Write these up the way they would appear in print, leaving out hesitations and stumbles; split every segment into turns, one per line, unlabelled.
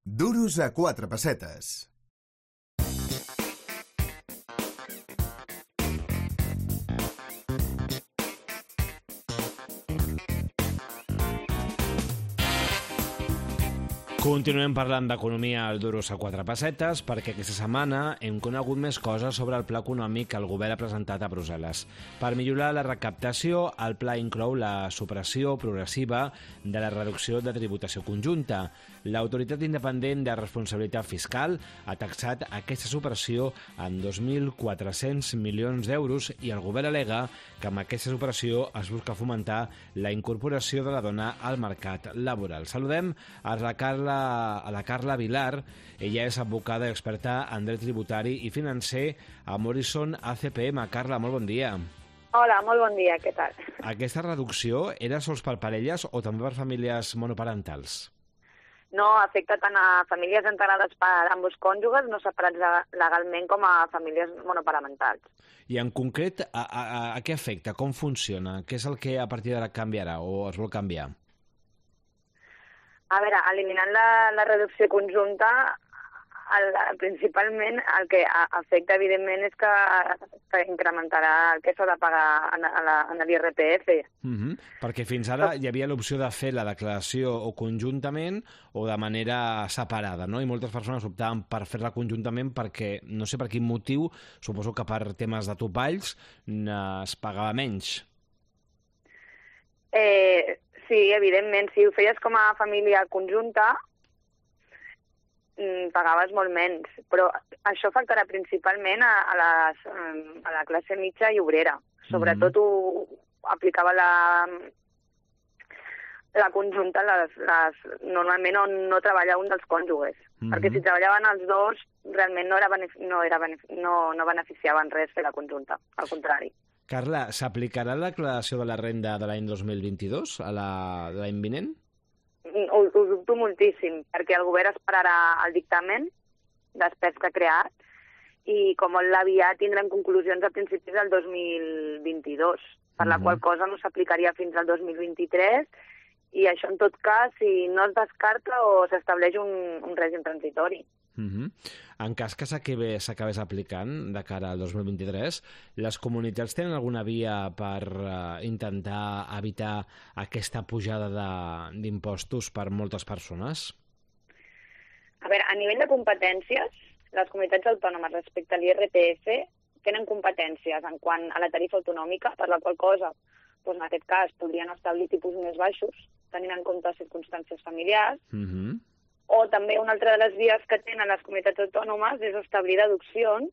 Duros a 4 pessetes.
Continuem parlant d'economia al Duros a 4 pessetes perquè aquesta setmana hem conegut més coses sobre el pla econòmic que el govern ha presentat a Brussel·les. Per millorar la recaptació, el pla inclou la supressió progressiva de la reducció de tributació conjunta. L'Autoritat Independent de Responsabilitat Fiscal ha taxat aquesta supressió en 2.400 milions d'euros i el govern al·lega que amb aquesta supressió es busca fomentar la incorporació de la dona al mercat laboral. Saludem a la Carla Vilar. Ella és advocada i experta en dret tributari i financer a Morrison ACPM. Carla, molt bon dia.
Hola, molt bon dia, què tal?
Aquesta reducció era sols per parelles o també per famílies monoparentals?
No, afecta tant a famílies integrades per ambos cònjuges, no separats legalment, com a famílies monoparentals.
I en concret, a què afecta? Com funciona? Què és el que a partir d'ara canviarà o es vol canviar?
A veure, eliminant la reducció conjunta, principalment el que afecta, evidentment, és que incrementarà el que s'ha de pagar en l'IRPF.
Perquè fins ara hi havia l'opció de fer la declaració o conjuntament o de manera separada, no? I moltes persones optaven per fer-la conjuntament perquè, no sé per quin motiu, suposo que per temes de topalls, es pagava menys.
Sí, evidentment, si ho feies com a família conjunta, pagaves molt menys, però això afectarà principalment a la classe mitja i obrera. Sobretot ho aplicava la conjunta normalment on no treballa un dels cònjuges, perquè si treballaven els dos realment no beneficiaven res fer la conjunta, al contrari.
Carla, s'aplicarà la declaració de la renda de l'any 2022, a l'any vinent?
Ho dubto moltíssim, perquè el govern esperarà el dictamen després que ha creat i com molt aviat tindrem conclusions a principis del 2022, per la qual cosa no s'aplicaria fins al 2023 i això en tot cas si no es descarta o s'estableix un règim transitori.
En cas que s'acabés aplicant de cara al 2023, les comunitats tenen alguna via per intentar evitar aquesta pujada d'impostos per moltes persones?
A veure, a nivell de competències, les comunitats autònomes respecte a l'IRPF tenen competències en quant a la tarifa autonòmica, per la qual cosa, doncs en aquest cas, podrien establir tipus més baixos, tenint en compte circumstàncies familiars, o també una altra de les vies que tenen les comunitats autònomes és establir deduccions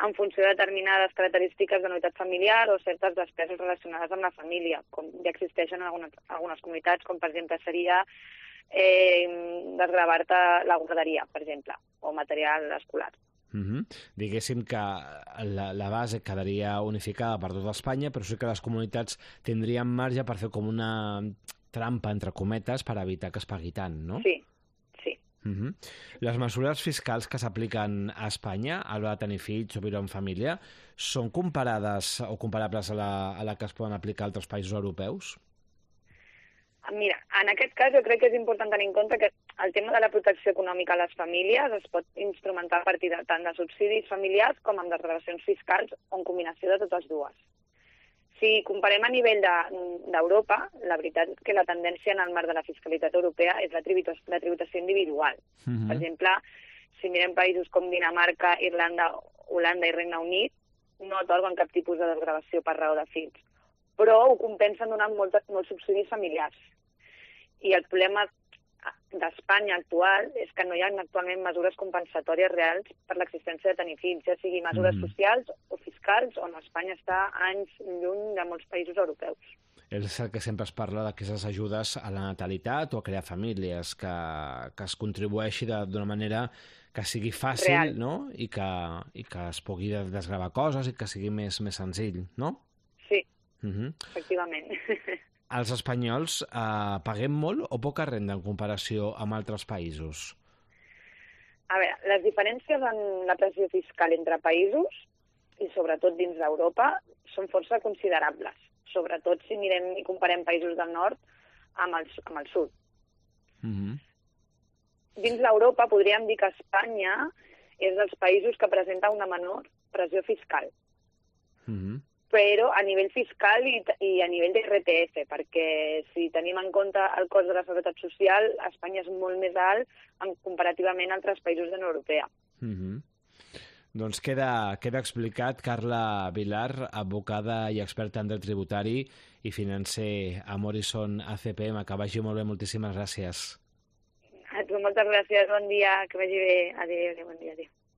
en funció de determinades característiques de unitat familiar o certes despeses relacionades amb la família, com ja existeixen en algunes comunitats, com per exemple seria desgravar-te la guarderia, per exemple, o material escolar.
Diguéssim que la base quedaria unificada per tota Espanya, però sí que les comunitats tindrien marge per fer com una trampa, entre cometes, per evitar que es pagui tant, no?
Sí, sí.
Les mesures fiscals que s'apliquen a Espanya a l'hora de tenir fills o viure en família són comparades o comparables a la que es poden aplicar a altres països europeus?
Mira, en aquest cas jo crec que és important tenir en compte que el tema de la protecció econòmica a les famílies es pot instrumentar a partir tant de subsidis familiars com amb desgravacions fiscals o en combinació de totes dues. Si comparem a nivell d'Europa, la veritat que la tendència en el marc de la fiscalitat europea és la tributació individual. Per exemple, si mirem països com Dinamarca, Irlanda, Holanda i Regne Unit, no atorguen cap tipus de desgravació per raó de fills, però ho compensen donant molts subsidis familiars. I el problema d'Espanya actual és que no hi ha actualment mesures compensatòries reals per l'existència de tenir fills, ja sigui mesures socials o fiscals, on Espanya està anys lluny de molts països europeus.
És el que sempre es parla d'aquestes ajudes a la natalitat o a crear famílies, que es contribueixi d'una manera que sigui fàcil, real, no? I que es pugui desgravar coses i que sigui més senzill, no?
Sí, efectivament.
Els espanyols paguem molt o poca renda en comparació amb altres països?
A veure, les diferències en la pressió fiscal entre països, i sobretot dins d'Europa, són força considerables. Sobretot si mirem i comparem països del nord amb el sud. dins d'Europa podríem dir que Espanya és dels països que presenta una menor pressió fiscal. Però a nivell fiscal i a nivell d'IRPF, perquè si tenim en compte el cost de la seguretat social, Espanya és molt més alt comparativament a altres països de la Unió Europea.
Doncs queda explicat. Carla Vilar, advocada i experta en dret tributari i financer a Morrison ACPM. Que vagi molt bé, moltíssimes gràcies.
A tu moltes gràcies, bon dia, que vagi bé. Adéu, bon dia, adéu.